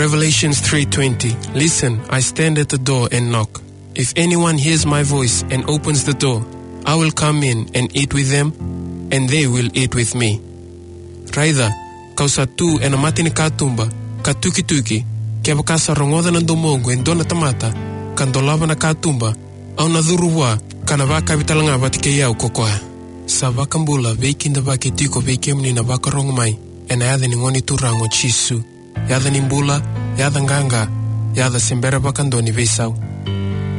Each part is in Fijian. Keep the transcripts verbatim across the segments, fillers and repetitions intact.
Revelations three twenty. "Listen, I stand at the door and knock. If anyone hears my voice and opens the door, I will come in and eat with them, and they will eat with me." Raica, kau sa tu ena mata ni katuba, ka tukituki, kevaka sa rogoca na domoqu e dua na tamata, ka dolava na katuba, au na curu vua, ka na vakavi talega vata kei au ko koya. Sa vakabula, veikidavaki tiko vei kemuni na vakarogo mai ena yaca ni Gone Turaga o Jisu. Yaca ni bula, yaca qaqa, yaca se bera vakadua ni veisau.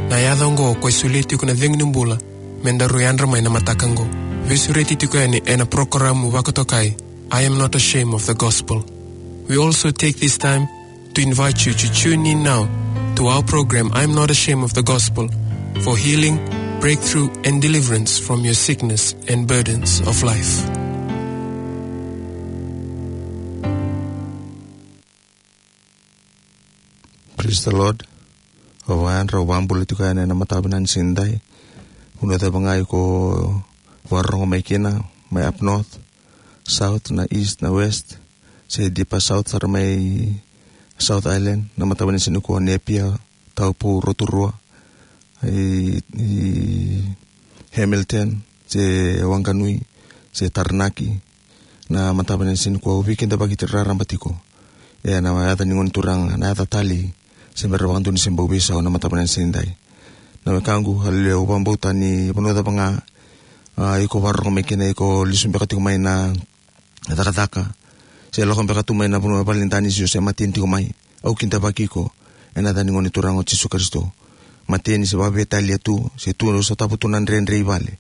Na yaca oqo ko e solia tiko na cegu ni bula, me daru yadra mai na mataka oqo. Veisureti tiko yani ena porokaramu vakatokai, I Am Not Ashamed of the Gospel. We also take this time to invite you to tune in now to our program, I Am Not Ashamed of the Gospel, for healing, breakthrough, and deliverance from your sickness and burdens of life. Praise the Lord. Au vakayadra, au vakabula tiko yani ena mataka vinaka ni siga edai. Vanua cava ga iko vakarorogo mai kina, mai up north, south, na east, na west, se deeper south sara mai South Island, na mataka vinaka ni siga nikua, Napier, Taupo, Rotorua, i, i Hamilton, se Wanganui, se Taranaki, na mataka vinaka ni siga nikua, au veikidavaki raraba tiko. Ena yaca ni Gone Turaga, na yaca talei, se bera vakadua ni se bau veisau na mataka vinaka ni siga edai. Na wekaqu, haleluya, au vakabauta ni vanua cava ga, a, iko vakarorogo mai kina, iko lesu beka tiko mai na cakacaka, se lako beka tu mai na vanua vale ni danisi, se mateni tiko mai, au kidavaki iko ena yaca ni Gone Turaga o Jisu Karisito. Mateni se vakaveitalia tu, se tu, sotava tu na dredre i vale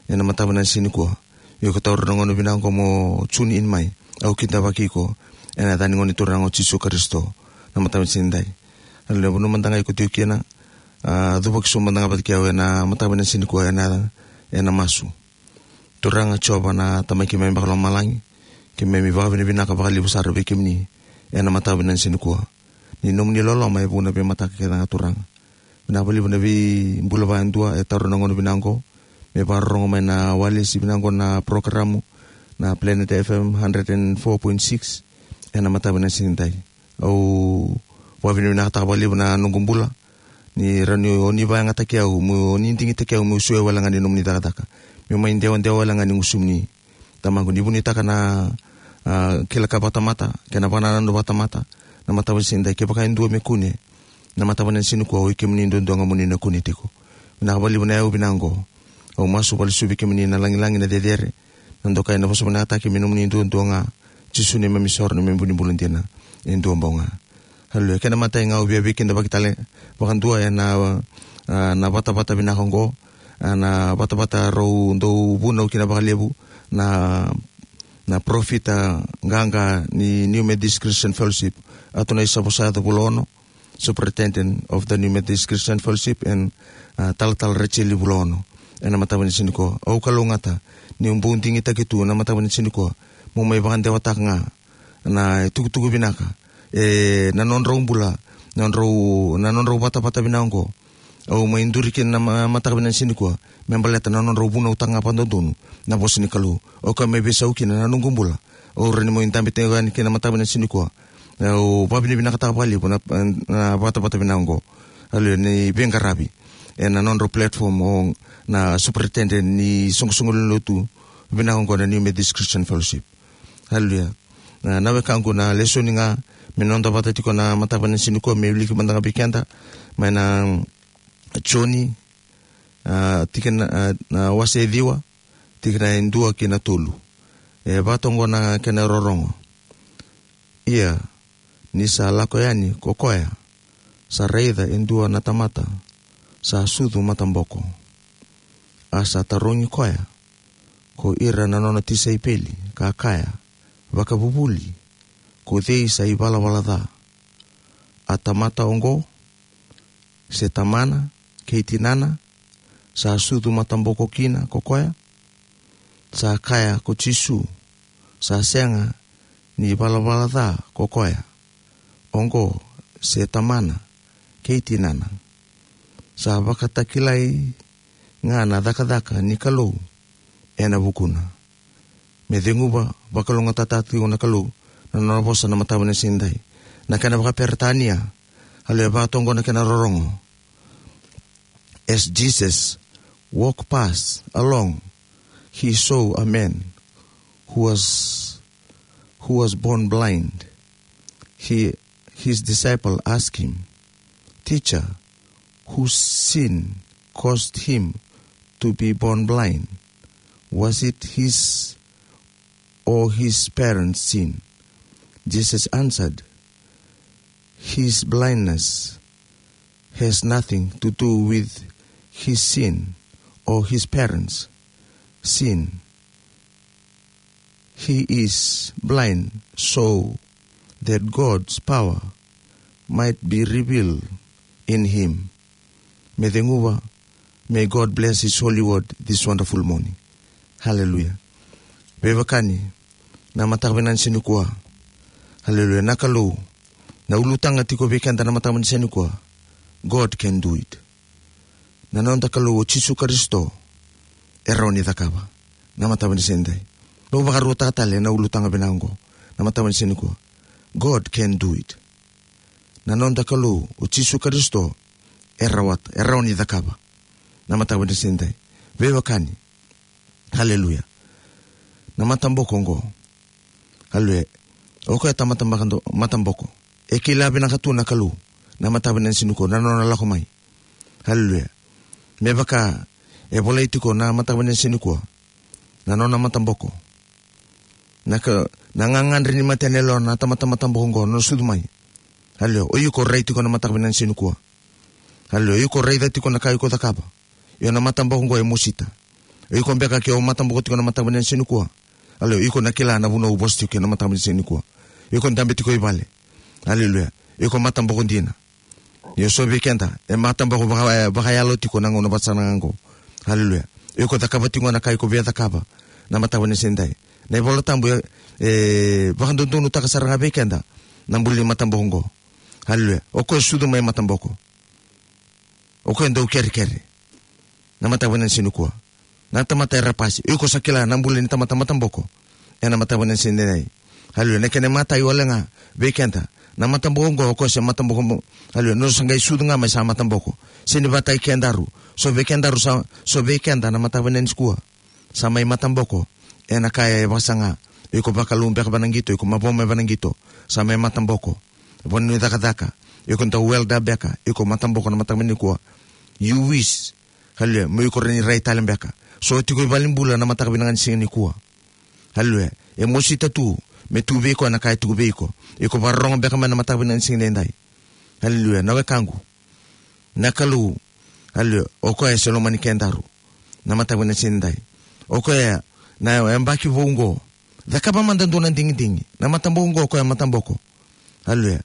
ena mataka vinaka ni siga nikua. Iko taura na gauna vinaka oqo mo tune in mai, au kidavaki iko ena yaca ni Gone Turaga o Jisu Karisito, na mataka vinaka ni siga edai. Haleluya. Vanua mada ga iko tiko kina, a, cuvaki sobu mada ga vata kei au ena mataka vinaka ni siga nikua, ena, ena masu. Turaga Jiova, na Tamai keimami vakalomalagi, keimami vakavinavinaka vakalevu sara vei kemuni ena mataka vinaka ni siga nikua. Ni nomuni loloma e vuna veimataka kece ga, Turaga. Vinaka vakalevu na veibula vakayadua e taura na gauna vinaka oqo me vakarorogo mai na walesi vinaka oqo, na porokaramu na Planet F M hundred and four point six ena mataka vinaka ni siga edai. Au vakavinavinakataka vakalevu na noqu bula, ni rawa ni oni vakayagataki au, mo ni digitaki au meu suya wale ga ni nomuni cakacaka, meu mai dewadewa wale ga ni gusumuni. Tamaqu, ni vunautaka na, a, kila ka vakatamata kei na vakanananu vakatamata na mataka vinaka ni siga edai. Kevaka e dua me kune na mataka vinaka ni siga nikua, oi kemuni duadua ga mo ni na kune tiko. Vinaka vakalevu na yau vinaka oqo. Au masu vakalesuvi kemuni na lagilagi, na cecere, na dokai, na vosavosataki me nomuni duadua ga, Jisu, neimami isoro, neimami vu ni bula dina e dua bau ga. Haleluya. Kena imatai ga, au via veikidavaki tale vakadua ena, a, na vatavata vinaka oqo, a, na vatavata rau dau vunau kina vakalevu na, na parofita qaqa ni New Methodist Christian Fellowship, Atunai Savosayaco Vulaono, Superintendent of the New Methodist Christian Fellowship, and, a, Talatala Rachel Vulaono. Ena mataka vinaka ni siga nikua, au kalougata niu bau digitaki tu na mataka vinaka ni siga nikua meu mai vakadewataka ga na itukutuku vinaka, e, na nodrau bula, nodrau, na nodrau vatavata vinaka oqo. Au mai duri kina na ma-, mataka vinaka ni siga nikua me baleta na nodrau vunautaka ga vakadodonu na vosa ni Kalou. Au kaya mai veisau kina na noqu bula, au rawa ni mai dabe tiko yani kina mataka vinaka ni siga nikua. Au vakavinavinakataka vakalevu na, na vatavata vinaka oqo. Haleluya, ni veiqaravi ena nodrau platform o na superintendent ni soqosoqo lewe ni lotu vinaka oqo na New Methodist Christian Fellowship. Haleluya. Na, na wekaqu, na lesoni ga me noda vata tiko na mataka vinaka ni siga nikua, me wiliki mada ga vei keda mai na Joni, a, tikina, a, na wase e ciwa, tikina e dua ki na tolu. E vaka oqo na kena rorogo. Ia, ni sa lako yani ko koya, sa raica e dua na tamata sa sucu mataboko. A sa tarogi koya ko ira na nona tisaipeli, ka kaya, "Vakavuvuli, ko cei sa ivalavala ca, a tamata oqo, se tamana kei tinana, sa sucu mataboko kina ko koya?" Sa kaya ko Jisu, "Sa sega ni valavala ca ko koya oqo, se tamana kei tinana. Sa vakatakilai ga na cakacaka ni Kalou ena vukuna." Me ceguva, vakalougatataka tiko na Kalou na nona vosa na mataka vinaka ni siga edai. Na kena vakaperitania, haleluya, vakatoqo na kena rorogo. As Jesus walked past along, he saw a man who was, who was born blind. He, his disciple asked him, "Teacher, whose sin caused him to be born blind? Was it his or his parents' sin?" Jesus answered, "His blindness has nothing to do with his sin or his parents' sin. He is blind so that God's power might be revealed in him." Me ceguva, may God bless his holy word this wonderful morning. Hallelujah. Veiwekani, na mataka vinaka ni siga nikua. Hallelujah. Na Kalou, na ulutaga tiko vei keda na mataka vinaka ni siga nikua. God can do it. Na noda Kalou o Jisu Karisito, e rawa ni cakava. Na mataka vinaka ni siga edai. Au vakarautaka tale na ulutaga vinaka oqo. Na mataka vinaka ni siga nikua. God can do it. Na noda Kalou o Jisu Karisito, e rawata, e rawa ni cakava. Na mataka vinaka ni siga edai. Veiwekani. Haleluya. Na mataboko oqo. Haleluya. O koya e tamata maka do, mataboko. E kila vinaka tu na Kalou. Na mataka vinaka ni siga nikua. Na nona lako mai. Haleluya. Me vaka e volai tiko na mataka vinaka ni siga nikua. Na nona mataboko. Na ka, na gagadre ni mata ni yalewa na tamata mataboko oqo, na nona sucu mai. Haleluya. O iko rai tiko na mataka vinaka ni siga nikua. Haleluya. O iko raica tiko na ka iko cakava. Io, na mataboko oqo e mosita. O iko beka ke o mataboko tiko na mataka vinaka ni siga nikua. Haleluya. O iko na kila na vanua o vosa tiko kina na mataka vinaka ni siga nikua. O iko dabe tiko i vale. Haleluya. O iko mataboko dina. Io, so vei keda e mataboko vaka, e vakayalo tiko na gauna vata sara ga oqo. Haleluya. O iko cakava tiko na ka iko via cakava. Na mataka vinaka ni siga edai. Na iVola Tabu e, e vakadodonutaka sara ga vei keda na bula ni mataboko oqo. Haleluya. O koya e sucu mai mataboko. O koya e dau kerekere. Na mataka vinaka ni siga nikua. Na tamata era pasi. O iko sa kila na bula ni tamata mataboko. Ena mataka vinaka ni siga edai. Haleluya. Na kena imatai wale ga vei keda. Na mataboko oqo, o koya se mataboko mo-, haleluya. Nona sa qai sucu ga mai sa mataboko. Sega ni vakataki kedaru. So vei kedaru sa, so vei keda na mataka vinaka ni siga nikua. Sa mai mataboko. Ena ka e vakasaga. O iko vakalou beka vanaqito, o iko mavoa mai vanaqito. Sa mai mataboko. Vanua ni cakacaka. O iko dau welder beka. O iko mataboko na mataka vinaka ni siga nikua. You wish. Haleluya. Mo iko rawa ni rai tale beka. So tiko i valenibula na mataka vinaka ni siga nikua. Haleluya. E mosita tu. Me tu vei iko na ka e tiko vei iko. O iko vakarorogo beka mai na mataka vinaka ni siga edai. Haleluya. Na wekaqu. Na Kalou. Haleluya. O koya e se lomani kedaru. Na mataka vinaka ni siga edai. O koya na yabaki vou oqo. Cakava mada dua na digidigi. Na mataboko oqo, o koya mataboko. Haleluya.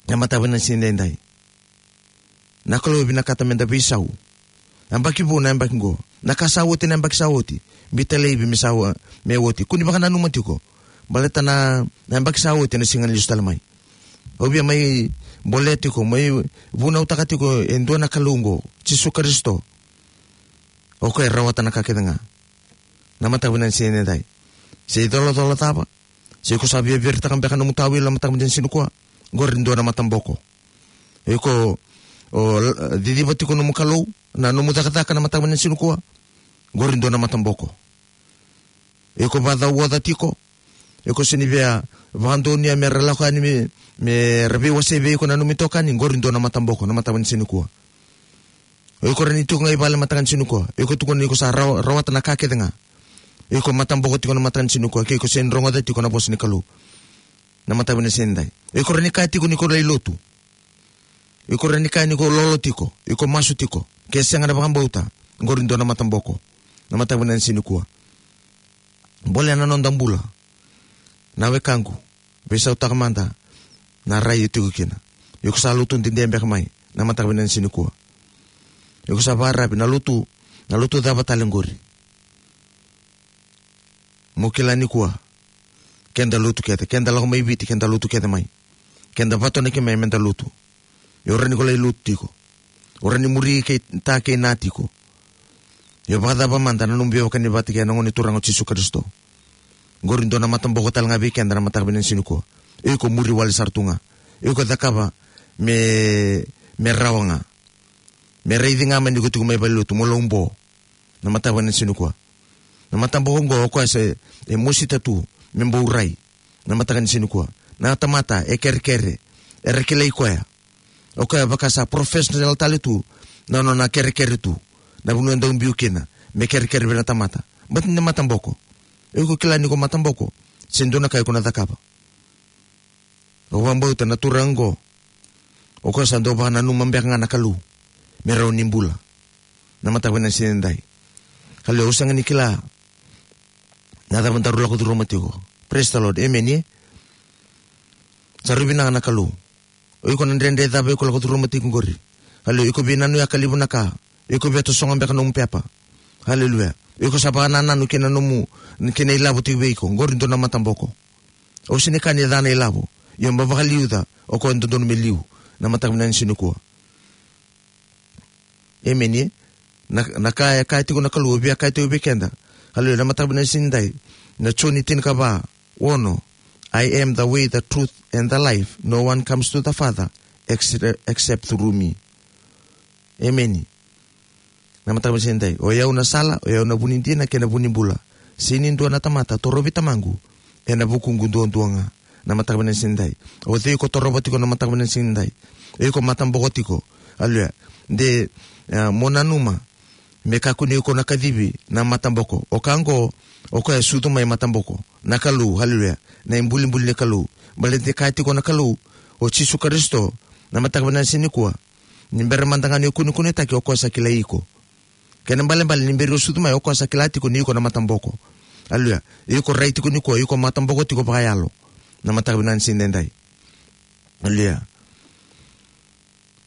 Na mataka vinaka ni siga edai. Na Kalou e vinakata meda veisau. Yabaki vou na yabaki oqo. Na ka sa oti na yabaki sa oti. Biuta laivi me sa o-, me oti. Kua ni vakananuma tiko. Baleta na, na yabaki sa oti na sega ni lesu tale mai. Au via mai bolea tiko, mai vunautaka tiko e dua na Kalou oqo, Jisu Karisito. O koya e rawata na ka kece ga. Na mataka vinaka ni siga edai. Se icolacola cava. Se iko sa via viritaka beka nomu tawilo na mataka vinaka ni siga nikua. Qori dua na mataboko. Iko, o, l-, ciciva tiko nomu Kalou, na nomu cakacaka na mataka vinaka ni siga nikua. Qori dua na mataboko. Iko vacauoca tiko. Iko sega ni via vakadonuya me ra lako yani me, me ra veiwasei vei iko na nomu itokani, qori dua na mataboko, na mataka vinaka ni siga nikua. O iko rawa ni tiko ga i vale mataka ni siga nikua. O iko tukuna ni iko sa rawa-, rawata na ka kece ga. O iko mataboko tiko na mataka ni siga nikua. Ke iko sega ni rogoca tiko na vosa ni Kalou. Na mataka vinaka ni siga edai. O iko rawa ni kaya tiko ni ko lai lotu. Iko rawa ni kaya ni ko lolo tiko, iko masu tiko. Ke sega na vakabauta, qori dua na mataboko. Na mataka vinaka ni siga nikua. Bolea na noda bula. Na wekaqu, veisautaka mada na rai o tiko kina. Iko sa lotu dede beka mai, na mataka vinaka ni siga nikua. Iko sa vakararavi na lotu, na lotu cava tale qori. Mo kila nikua. Keda lotu kece, keda lako mai Viti, keda lotu kece mai. Keda vatonaki mai meda lotu. Io, rawa ni ko lai lotu tiko. O rawa ni muri kei ta kei na tiko. Io, vakacava mada na nomu veiwekani vata kei na Gone Turaga o Jisu Karisito. Qori dua na mataboko tale ga vei keda na mataka vinaka ni siga nikua. Iko muri wale sara tu ga. Iko cakava me, me rawa ga. Me raici ga mai ni ko tiko mai valenilotu mo laubo. Na mataka vinaka ni siga nikua. Na mataboko oqo o koya se, e mosita tu me bau rai. Na mataka ni siga nikua. Na tamata e kerekere. Era kilai koya. O koya vaka sa professional tale tu. Na nona kerekere tu. Na vanua e dau biu kina. Me kerekere vei na tamata. But ni mataboko. Iko kila ni ko mataboko. Se dua na ka iko na cakava. Au vakabauta na turaga oqo. O koya sa dau vakananuma beka ga na Kalou. Me rawa ni bula. Na mataka vinaka ni siga nidai. Kalou, au sega ni kila. Na cava daru lako curuma tiko. Praise the Lord. Amen, e? Sa rui vinaka na Kalou. O iko na dredre cava iko lako curuma tiko qori. Kalou, iko via nanuma ka levu na ka. Iko via tosoga beka nomu pepa. Haleluya. Iko sa vakanananu kei na nomu, kei na ilavo tiko vei iko. Qori dua na mataboko. Au sega ni kaya ni ca na ilavo. Ia mo vakaliuca, o koya dodonu me liu. Na mataka vinaka ni siga nikua. Amen, e? Na, na ka e kaya tiko na Kalou, via kaya tiko vei keda. Haleluya, na mataka vinaka ni siga nidai. Na Joni tinikava, ono. "I am the way, the truth, and the life. No one comes to the Father except, except through me." Amen. Na mataka vinaka ni siga nidai. "O yau na sala, o yau na vu ni dina, kei na vu ni bula. Sega ni dua na tamata torovi Tamaqu, ena vukuqu duadua ga." Na mataka vinaka ni siga nidai. O cei iko torova tiko na mataka vinaka ni siga nidai? O iko mataboko tiko. Haleluya. De, ah, mo nanuma. Me kakua ni iko na kacivi na mataboko. O ka oqo, o koya e sucu mai mataboko. Na Kalou, haleluya. Na ibulibuli ni Kalou. Baleta e kaya tiko na Kalou, o Jisu Karisito, na mataka vinaka ni siga nikua. Ni bera mada ga ni o kunekunetaki, o koya sa kilai iko. Kena ibalebale ni bera o sucu mai, o koya sa kila tiko ni iko na mataboko. Haleluya. Iko rai tiko nikua, iko mataboko tiko vakayalo. Na mataka vinaka ni siga nidai. Haleluya.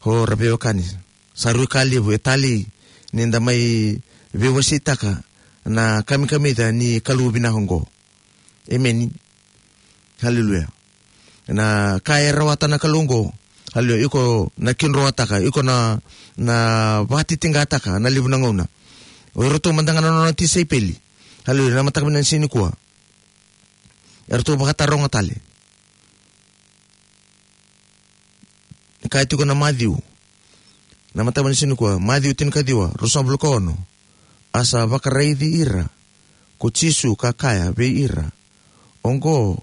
O ra veiwekani. Sa rui ka levu e talei ni da mai veiwaseitaka na kamikamica ni Kalou vinaka oqo. Amen. Haleluya. Na ka e rawata na Kalou oqo. Haleluya. Iko na kidroataka, iko na, na vakatitiqataka na levu na gauna. O iratou mada ga na nona tisaipeli. Haleluya. Na mataka vinaka ni siga nikua. Eratou vakataroga tale. Kaya tiko na Maciu. Na mataka vinaka ni siga nikua, Maciu tinikaciwa, ruasagavulu ka ono. A sa vakaraici ira ko Jisu ka kaya vei ira, "Oqo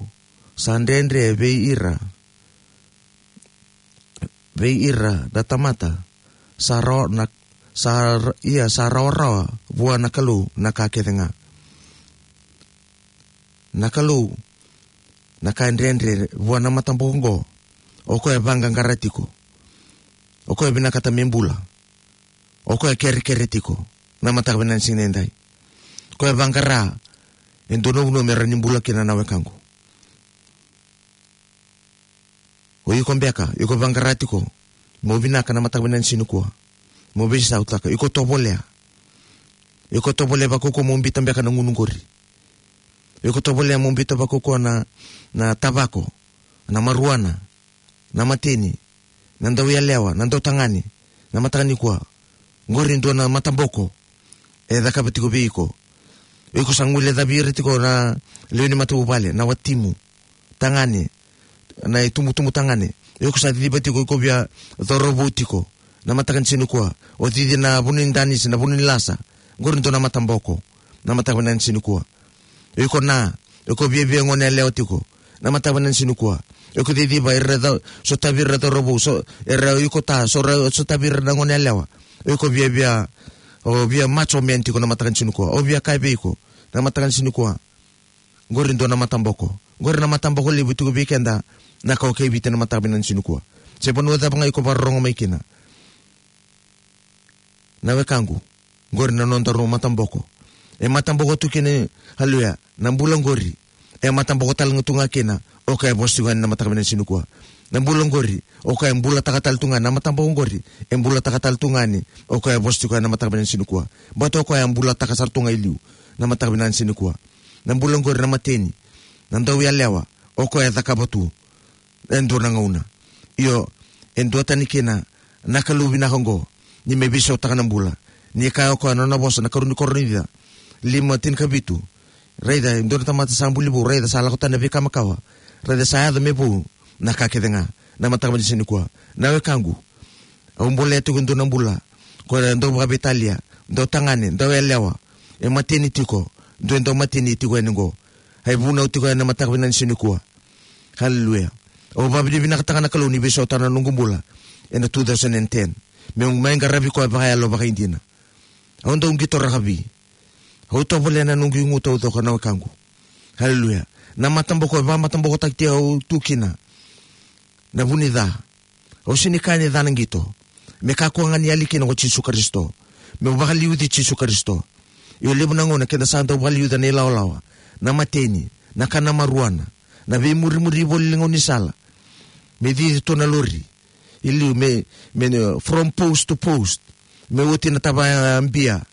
sa dredre vei ira, vei ira na tamata sa rawa na, sa ra-, ia sa rawarawa vua na Kalou na ka kece ga." Na Kalou, na ka e dredre vua na mataboko oqo, o koya e vaqaqara tiko. O koya e vinakata me bula. O koya e kerekere tiko. Na mataka vinaka ni siga nidai. O koya e vaqara e dua na vanua me rawa ni bula kina, na wekaqu. O iko beka, iko vaqara tiko mo vinaka na mataka vinaka ni siga nikua. Mo veisautaka, iko tovolea. Iko tovolea vakaukauwa mo biuta beka na gunu qori. Iko tovolea mo biuta vakaukauwa na, na tavako, na maruana, na mateni, na dauyalewa, na dautagane, na mataka nikua. Qori dua na mataboko e cakava tiko vei iko. Iko sa guilecavi ira tiko na lewe ni matavuvale, na watimu, tagane, na itubutubu tagane. Iko sa ciciva tiko, iko via cauravou tiko. Na mataka ni siga nikua. O cici na vanua ni danisi, na vanua ni lasa. Qori dua na mataboko. Na mataka vinaka ni siga nikua. Iko na, iko viavia gone yalewa tiko. Na mataka vinaka ni siga nikua. Iko ciciva, era ca-, sotavi ira cauravou, so, era iko ta, so ra-, sotavi ira na gone yalewa. Iko viavia, o via macho man tiko na mataka ni siga nikua. O via kaya vei iko. Na mataka ni siga nikua. Qori dua na mataboko. Qori na mataboko levu tiko vei keda na kawa kei Viti na mataka vinaka ni siga nikua. Se vanua cava ga iko vakarorogo mai kina. Na wekaqu. Qori na nodaru mataboko. E mataboko tu kina, haleluya, na bula qori. E mataboko tale ga tu ga kina o koya e vosa tiko yani na mataka vinaka ni siga nikua. Na bula qori, o koya e bulataka tale tu ga na mataboko qori. E bulataka tale tu ga yani o koya e vosa tiko yani na mataka vinaka ni siga nikua. Baleta o koya e bulataka sara tu ga i liu na mataka vinaka ni siga nikua. Na bula qori na mateni, na dauyalewa, o koya e cakava tu e dua na gauna. Io, e duatani kina na Kalou vinaka oqo, ni me veisautaka na bula. Ni kaya o koya na nona vosa na karua ni Korinica lima tinikavitu. Raica, e dua na tamata sa buli vou, raica sa lako tani na veika makawa. Raica sa yaco me vou na ka kece ga na mataka vinaka ni siga nikua. Na wekaqu, au bolea tiko e dua na bula, ko e dau vakaveitalia, dau tagane, dau yalewa, e mateni tiko, dua e dau mateni tiko yani qo. Ai vunau tiko yani na mataka vinaka ni siga nikua. Haleluya. Au vakavinavinakataka na Kalou ni veisautaka na noqu bula ena two thousand and ten, meu mai qaravi koya vakayalo vakaidina. Au dau qito rakavi. Au tovolea na noqu igu taucoko, na wekaqu. Haleluya. Na mataboko e vakamatabokotaki au tu kina, na vu ni ca. Au sega ni kaya ni ca na qito. Me kakua ga ni yali kina ko Jisu Karisito. Meu vakaliuci Jisu Karisito. Io, levu na gauna keda sa dau vakaliuca na ilawalawa, na mateni, na kana marijuana, na veimurimuri voli e gaunisala. Me cici tu na lori. I liu me, me, from post to post. Me oti na tavaya bia.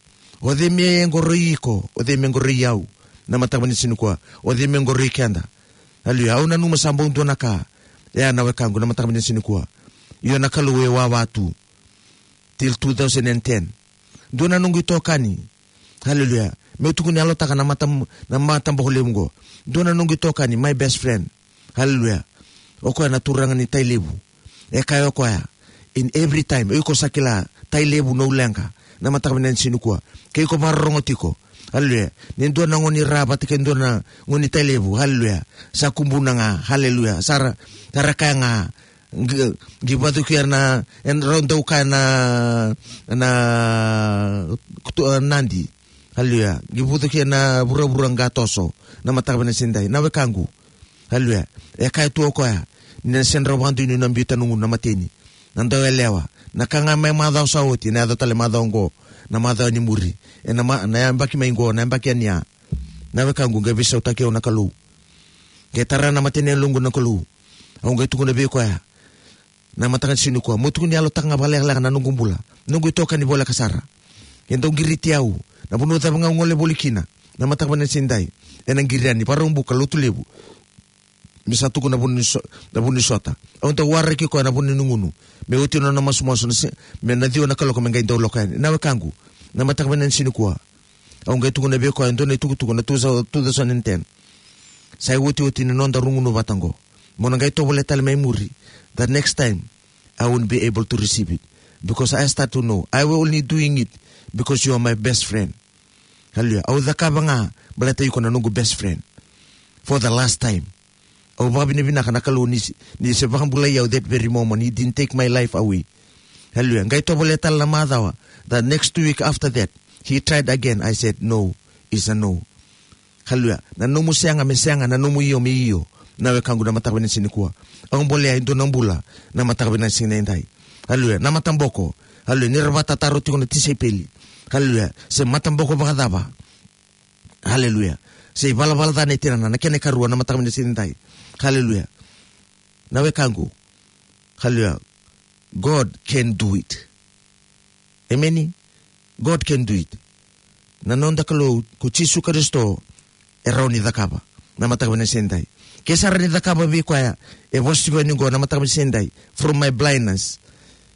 O cei me qoroi iko, o cei me qoroi au? Na mataka vinaka ni siga nikua, o cei me qoroi keda? Haleluya. Au nanuma sa bau dua na ka. Ia, na wekaqu, na mataka vinaka ni siga nikua, io, na Kalou e wawa tu till two thousand and ten. Dua na noqu itokani. Haleluya. Meu tukuni yalotaka na mata, na mataboko levu qo. Dua na noqu itokani, my best friend. Haleluya. O koya na turaga ni Tailevu. E kaya o koya, in every time, o iko sa kila Tailevu na uleqa, na mataka vinaka ni siga nikua, ke iko vakarorogo tiko. Haleluya. Ni dua na gone ni Ra vata kei dua na gone ni Tailevu. Haleluya. Sa kubuna ga. Haleluya. Sa ra, sa ra kaya ga, qi, qi vacukia na, e rau dau kaya na, na, kutu, e, nadi. Haleluya. Qi vacukia na vuravura qatoso, na mataka vinaka ni siga nidai, na wekaqu. Haleluya. E kaya tu o koya ni na sega ni rau vakadonui na biuta na gunu, na mateni, na dau yalewa. Na ka ga mai macawa sa oti, na yaco tale macawa qo, na macawa ni muri, e na ma, na yabaki mai qo, na yabaki yani ya. Na wekaqu, qai veisautaki au na Kalou. Qai tara na mata ni yaloqu na Kalou. Au qai tukuna vei koya, na mataka ni siga nikua, meu tukuni yalotaka ga vakalekaleka na noqu bula, noqu itokani voleka sara. E dau qiriti au, na vanua cava ga au gole voli kina, na mataka vinaka ni siga nidai, ena qiri yani Vakaraubuka, Lotulevu. Me sa tuku na vuni so, na vuni sota. Au dau waraki koya na vuni ni gunu. Me oti na nona masumasu na se, me na ciwa na kaloko me qai dau lako yani. Na wekaqu, na mataka vinaka ni siga nikua, au qai tukuna vei koya e dua na itukutuku na two thousand, two thousand and ten. Sa iotioti ni noda rugunu vata qo. Mo na qai tovolea tale mai muri. The next time, I won't be able to receive it. Because I start to know, I will only doing it because you are my best friend. Haleluya. Au cakava ga baleta iko na noqu best friend. For the last time. Au vakavinavinaka na Kalou ni se, ni se vakabulai au that very moment. He didn't take my life away. Haleluya. Qai tovolea tale na macawa. The next week after that, he tried again. I said, "No, is a no." Haleluya. Na nomu sega me sega, na nomu io me io. Na wekaqu, na mataka vinaka ni siga nikua, au bolea e dua na bula na mataka vinaka ni siga nidai. Haleluya. Na mataboko. Haleluya. Ni ra vakatataro tiko na tisaipeli. Haleluya. Se mataboko vakacava? Haleluya. Se ivalavala ca nei tinana, na kena ikarua, na mataka vinaka ni siga nidai. Haleluya. Na wekaqu. Haleluya. God can do it. Emeni. God can do it. Na noda Kalou ko Jisu Karisito e rawa ni cakava na mataka vinaka ni siga nidai. Ke sa rawa ni cakava vei koya e vosa tiko yani qo na mataka vinaka ni siga nidai, from my blindness.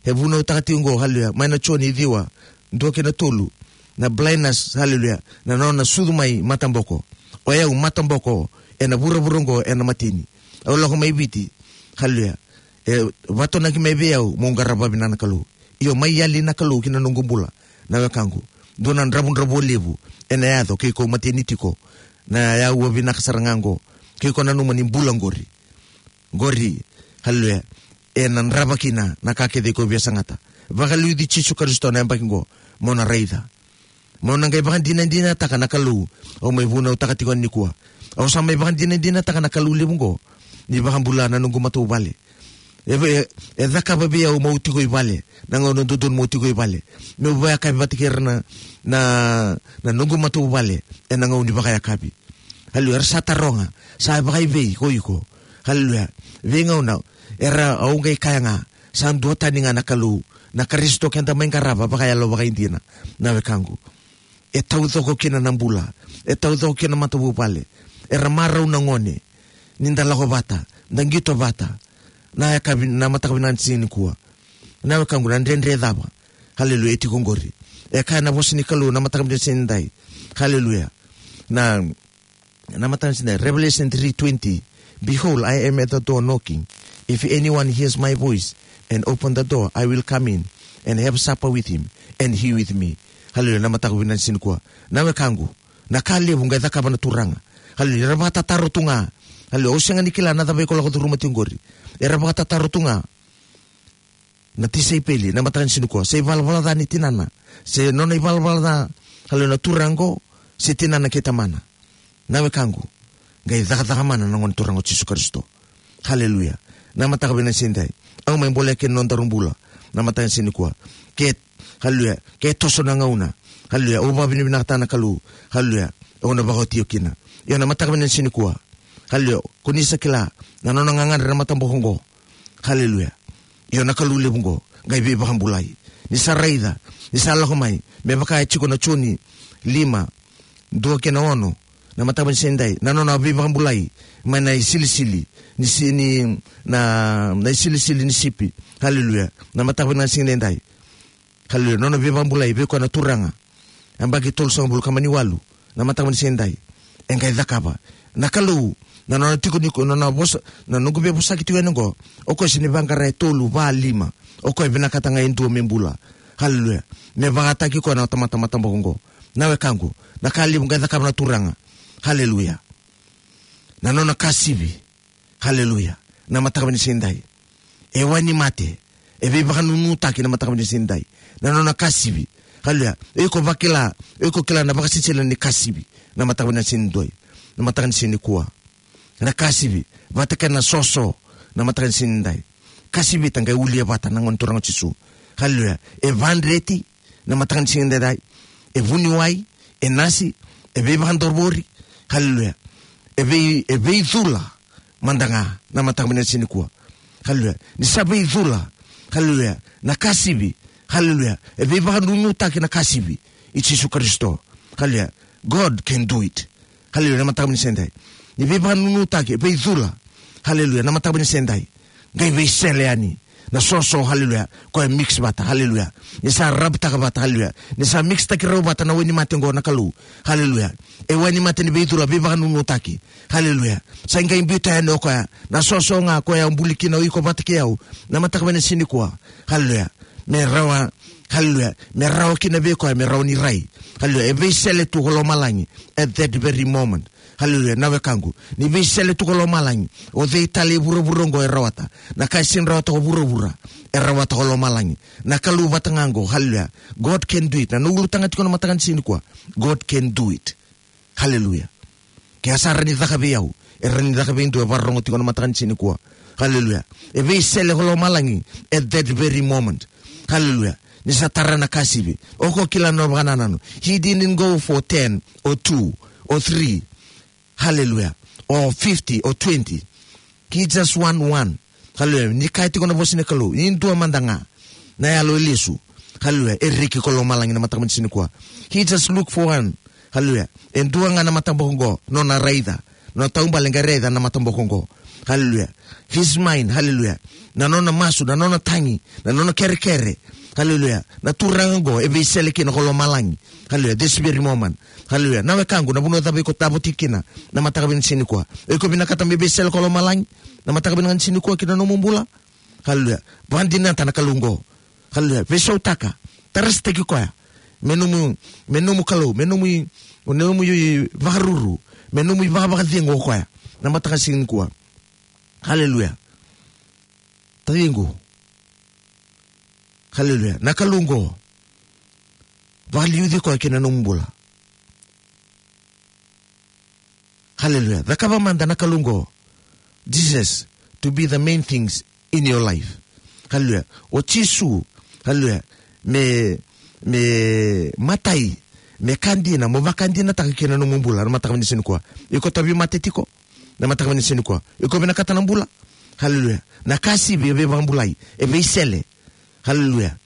E vunautaka tiko qo, haleluya, mai na Joni ciwa, dua kei na tolu. Na blindness, haleluya, na nona sucu mai mataboko. O yau mataboko ena vuravura qo, ena mateni. Au lako mai Viti, haleluya, e vatonaki mai vei au meu qarava vinaka na Kalou. Io, mai yali na Kalou ki na noqu bula, na wekaqu. Dua na dravudravua levu ena yaco ke iko mateni tiko. Na yau a vinaka sara ga qo, ke iko nanuma ni bula qori. Qori, haleluya, ena drava kina na ka kece iko via sagata. Vakaliuci Jisu Karisito na yabaki qo, mo na raica. Mo na qai vakadinadinataka na Kalou au mai vunautaka tiko nikua. Au sa mai vakadinadinataka na Kalou levu qo ni vakabula na noqu matavuvale. E, e, e cakava vei au meu tiko i vale, na gauna dodonu meu tiko i vale, meu vakayakavi vata kei ira na, na, na noqu matavuvale ena gauna ni vakayakavi. Haleluya. Era sa taroga, sa vakaivei ko iko? Haleluya. Veigauna era, au qai kaya ga, sa duatani ga na Kalou, na Karisito keda mai qarava vakayalo vakaidina, na wekaqu. E taucoko kina na bula, e taucoko kina na matavuvale. Era marau na gone ni da lako vata, da qito vata na yakavi, na mataka vinaka ni siga nikua. Na wekaqu, na dredre cava, haleluya, e tiko qori? E kaya na vosa ni Kalou na mataka vinaka ni siga nidai. Haleluya. Na, na mataka vinaka ni siga nidai, Revelation three twenty. "Behold, I am at the door knocking. If anyone hears my voice and open the door, I will come in and have supper with him and he with me." Haleluya, na mataka vinaka ni siga nikua. Na wekaqu, na ka levu qai cakava na Turaga. Haleluya, era vakatataro tu ga. Haleluya, au sega ni kila na cava iko lako curuma tiko qori. Era vakatataro tu ga na tisaipeli, na mataka ni siga nikua, se ivalavala ca ni tinana, se nona ivalavala ca, haleluya, na turaga qo, se tinana kei tamana. Na wekaqu, qai cakacaka mana na Gone Turaga o Jisu Karisito. Haleluya. Na mataka vinaka ni siga edai, au mai bolea kina nodaru bula. Na mataka ni siga nikua, ke, haleluya, ke toso na gauna, haleluya, au vakavinavinakataka na Kalou. Haleluya. Au na vakaoti au kina. Io, na mataka vinaka ni siga nikua, haleluya, ko ni sa kila na nona gagadre na mataboko qo. Haleluya. Io, na Kalou levu qo qai veivakabulai. Ni sa raica, ni sa lako mai, me vaka e tiko na Joni lima, dua kei na ono, na mataka ni siga edai, na nona veivakabulai mai na isilisili ni si-, ni, na, na isilisili ni sipi. Haleluya. Na mataka ni siga edai, haleluya, nona veivakabulai vei koya na Turaga. Yabaki tolusagavulu ka mani walu, na mataka ni siga edai, e qai cakava. Na Kalou, na nona tiko ni ko, na nona vosa, na noqu veivosaki tiko yani qo, o koya sega ni vaqara e tolu, va, lima. O koya vinakata ga e dua me bula. Haleluya. Me vakataki koya na tamata mataboko qo. Na wekaqu, na ka levu qai cakava na Turaga. Haleluya. Na nona kasivi. Haleluya. Na mataka ni siga edai, e wainimate, e veivakanunutaki na mataka ni siga edai, na nona kasivi. Haleluya. Iko vakila, iko kila na vakasisila ni kasivi na mataka ni siga edai, na mataka ni siga nikua. Na kasivi vata kei na soso na mataka ni siga edai. Kasivi ta qai ulia vata na Gone Turaga o Jisu. Haleluya. E vadreti na mataka ni siga edai. E vuniwai, e nasi, e veivakadavori. Haleluya. E vei, e veicula mada ga na mataka ni siga nikua. Haleluya. Ni sa veicula, haleluya, na kasivi. Haleluya. E veivakanunutaki na kasivi i Jisu Karisito. Haleluya. God can do it. Haleluya, na mataka ni siga edai. Ni veivakanunutaki, e veicula. Haleluya, na mataka ni siga edai. Qai veisele yani na soso, haleluya, koya mix vata, haleluya. Ni sa rabtaka vata, haleluya. Ni sa mixtaki rau vata na wainimate qo na Kalou. Haleluya. E wainimate ni veicula, veivakanunutaki. Haleluya. Sa qai biuta yani o koya na soso ga koya buli kina o iko vata kei au na mataka ni siga nikua. Haleluya. Me rawa, haleluya, me rawa kina vei koya, me rawa ni rai. Haleluya. E veisele tu ko lomalagi at that very moment. Haleluya. Na wekaqu, ni veisele tu ko lomalagi, o cei tale e vuravura oqo e rawata? Na ka e sega ni rawata ko vuravura, e rawata ko lomalagi. Na Kalou vata ga oqo. Haleluya. God can do it. Na noqu ulutaga tiko na mataka ni siga nikua, God can do it. Haleluya. Ke a sa rawa ni caka vei au, e rawa ni caka vei dua e vakarorogo tiko na mataka ni siga nikua. Haleluya. E veisele ko lomalagi at that very moment. Haleluya. Ni sa tara na kasivi. O ko kila na vakanananu. He didn't go for ten or two or three. Haleluya. Or fifty or twenty. He just want one. Haleluya. Ni kaya tiko na vosa ni Kalou, ni dua mada ga na yalo e lesu, haleluya, e reki ko lomalagi na mataka ni siga nikua. He just look for one. Haleluya. E dua ga na mataboko oqo, nona raica. Nona taubale qai raica na mataboko oqo. Haleluya. His mind, haleluya. Na nona masu, na nona tagi, na nona kerekere. Haleluya. Na Turaga oqo e veisele kina ko lomalagi. Haleluya. This very moment. Haleluya. Na wekaqu, na vanua cava iko tavoti kina na mataka ni siga nikua, o iko vinakata me veisele ko lomalagi na mataka ni siga nikua ki na nomu bula? Haleluya. Vakadinata na Kalou oqo. Haleluya. Veisautaka. Tarasitaki koya me nomu, me nomu Kalou, me nomu i, me nomu ivakaruru, me nomu ivakavakacegu o koya na mataka ni siga nikua. Haleluya. Taciqu. Haleluya. Na Kalou oqo, vakaliuci koya ki na nomu bula. Haleluya. Cakava mada na Kalou oqo, Jesus, to be the main things in your life. Haleluya. O Jisu, haleluya, me, me matai, me ka dina, mo vakadinataka ki na nomu bula na mataka ni siga nikua. Iko tauvimate tiko na mataka ni siga nikua, iko vinakata na bula. Haleluya. Na kasivi e veivakabulai, e veisele. Haleluya.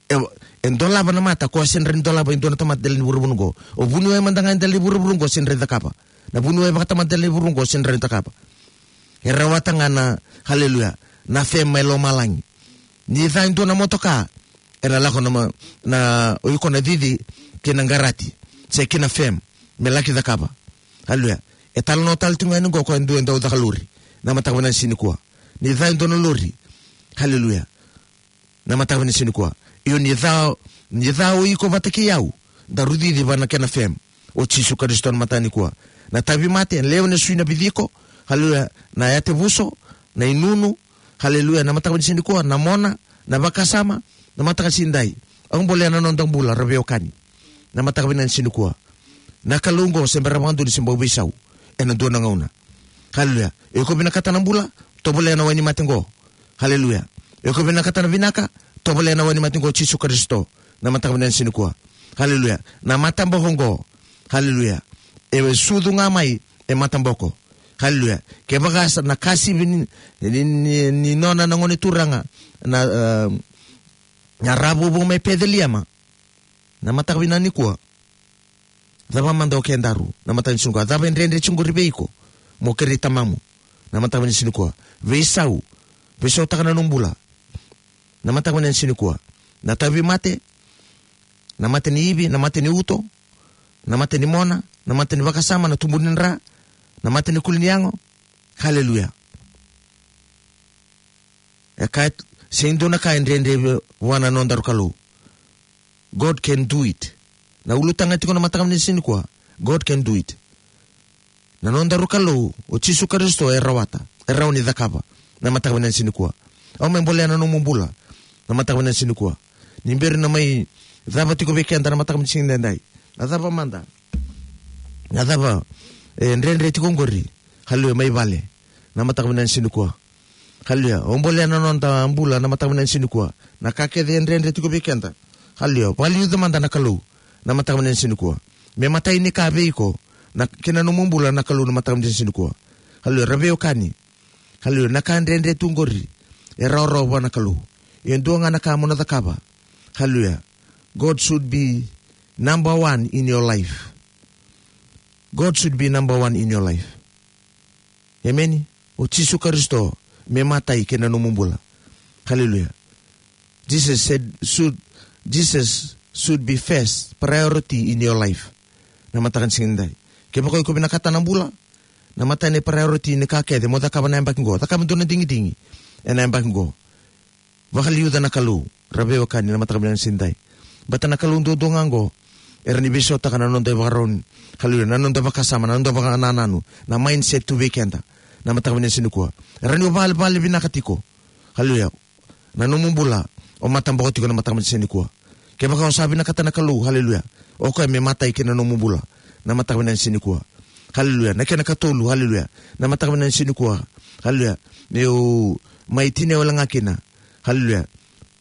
E, e dolava na mata, koya sega ni dolava e dua na tamata dela ni vuravura oqo. O vuniwai mada ga dela ni vuravura oqo sega ni cakava. Na vuniwai vakatamata dela ni vuravura oqo sega ni cakava. E rawata ga na, haleluya, na fame mai lomalagi. Ni ca e dua na motoka, e na lako na ma-, na, o iko na cici ki na qarati, se ki na fame, me laki cakava. Haleluya. E talanoa tale tu ga yani oqo koya e dua e dau caka lori. Na mataka vinaka ni siga nikua. Ni ca e dua na lori. Haleluya. Na mataka vinaka ni siga nikua. Io ni ca, ni ca o iko vata kei au. Daru cici vua na Kena F M. O Jisu Karisito na mataka nikua. Na tauvimate, lewe ni sui na viciko. Haleluya. Na yatevuso, na inunu. Haleluya. Na mataka vinaka ni siga nikua. Na mona, na vakasama. Na mataka ni siga nidai. Au bolea na noda bula, ra veiwekani. Na mataka vinaka ni siga nikua. Na Kalou qo se bera vakadua ni se bau veisau. Ena dua na gauna. Haleluya. Iko vinakata na bula, tovolea na wainimate qo. Haleluya. Iko vinakata na vinaka, tovolea na wainimate qo Jisu Karisito. Na mataka vinaka ni siga nikua. Haleluya. Na mataboko qo. Haleluya. E sucu ga mai, e mataboko. Haleluya. Kevaka sa na kasivi ni, ni, ni, ni nona na gone turaga. Na, eh, na ravovo mai Peceliema. Na mataka vinaka nikua. Cava mada o kedaru, na mataka ni siga nikua. Cava e dredre tiko qori vei iko. Mo kerei tamamu. Na mataka vinaka ni siga nikua. Veisau. Veisautaka na nomu bula. Na mataka vinaka ni siga nikua. Na tauvimate. Na mate ni ivi, na mate ni uto. Na mate ni mona, na mate ni vakasama, na tubu ni dra. Na mate ni kuli ni yago. Haleluya. E ka, se dua na ka e dredre vua na nodaru Kalou. God can do it. Na ulutaga tiko na mataka vinaka ni siga nikua. God can do it. Na nodaru Kalou, o Jisu Karisito e rawata. E rawa ni cakava. Na mataka vinaka ni siga nikua. Au mai bolea na nomu bula. Na mataka vinaka ni siga nikua. Ni bera ni mai cava tiko vei keda na mataka vinaka ni siga nidai. Na cava mada. Na cava, e dredre tiko qori. Haleluya, mai vale. Na mataka vinaka ni siga nikua. Haleluya. O bolea na noda bula na mataka vinaka ni siga nikua. Na ka kece e dredre tiko vei keda. Haleluya. Vakaliuca mada na Kalou. Na mataka vinaka ni siga nikua. Me matai ni ka vei iko. Na kena nomu bula na Kalou na mataka vinaka ni siga nikua. Haleluya. Ra veiwekani. Haleluya. Na ka dredre tu qori. E rawarawa vua na Kalou. E dua ga na ka mo na cakava. Haleluya. God should be number one in your life. God should be number one in your life. Emeni. O Jisu Karisito me matai kei na nomu bula. Haleluya. Jesus said, should, Jesus should be first priority in your life. Na mataka ni siga nidai. Kevaka iko vinakata na bula, na matai ni priority ni ka kece mo cakava na yabaki qo. Cakava dua na digidigi ena yabaki qo. Vakaliuca na Kalou, ra veiwekani na mataka vinaka ni siga nidai. Baleta na Kalou duadua ga qo, era ni veisautaka na noda ivakarau ni, haleluya, na noda vakasama, na noda vakanananu, na mindset tu vei keda. Na mataka vinaka ni siga nikua. Era ni o vale, vale vinaka tiko. Haleluya. Na nomu bula, o mataboko tiko na mataka vinaka ni siga nikua. Kevaka o sa vinakata na Kalou, haleluya. O koya me matai kei na nomu bula. Na mataka vinaka ni siga nikua. Haleluya. Na kena katolu, haleluya. Na mataka vinaka ni siga nikua. Haleluya. Meu mai tinia wale ga kina. Haleluya.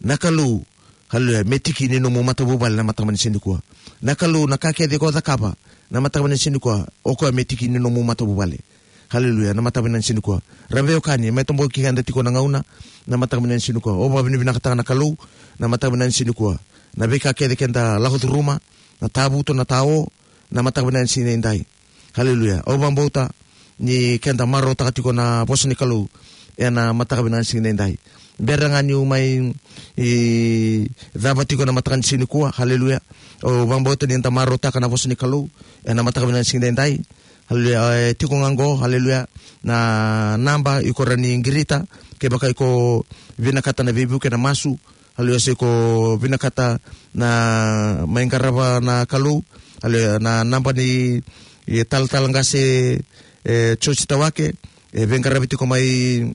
Na Kalou, haleluya, me tiki ni nomu matavuvale na mataka ni siga nikua. Na Kalou, na ka kece ko cakava na mataka ni siga nikua, o koya me tiki ni nomu matavuvale. Haleluya, na mataka ni siga nikua. Ra veiwekani, me toboki keda tiko na gauna, na mataka ni siga nikua. O vakavinavinakataka na Kalou, na mataka ni siga nikua. Na veika kece keda lako curuma, na tavuto, na tao, na mataka ni siga nidai. Haleluya. Au vakabauta ni keda marautaka tiko na vosa ni Kalou ena mataka vinaka ni siga nidai. Bera ga niu mai cava tiko na mataka ni siga nikua. Haleluya. Au vakabauta ni da marautaka na vosa ni Kalou ena mataka vinaka ni siga nidai. Haleluya. E tiko ga qo, haleluya, na naba iko rawa ni qirita kevaka iko vinakata na veivuke, na masu. Haleluya, se ko vinakata na mai qarava na Kalou. Haleluya, na naba ni, e, talatala qase, e, Joji Tawake, e veiqaravi tiko mai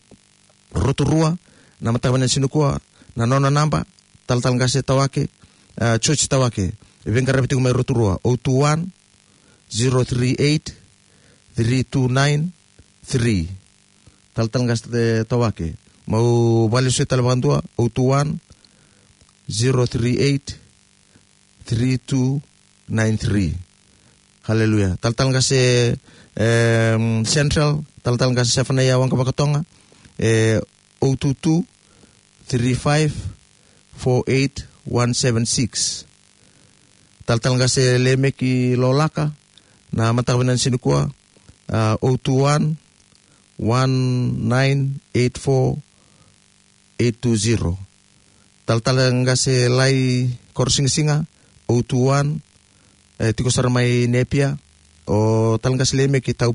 Rotorua, na mataka ni siga nikua, na nona naba, talatala qase Tawake, e, Joji Tawake, e veiqaravi tiko mai Rotorua, o two one, zero three eight, three two nine three. Talatala qase Tawake. Meu vakalesuya tale vakadua, o two one, zero three eight, three two nine three. Haleluya. Talatala qase, em, Central, talatala qase Sefanaia Waqavakatoga, e, o two two, three five, four eight one seven six. Talatala qase Lemeki Lolaka, na mataka vinaka ni siga nikua, a, o two one, one nine eight four eight two zero. Talatala qase Lai Korosigasiga, o two one, e, tiko sara mai Napier, o talatala qase Lemeki Tau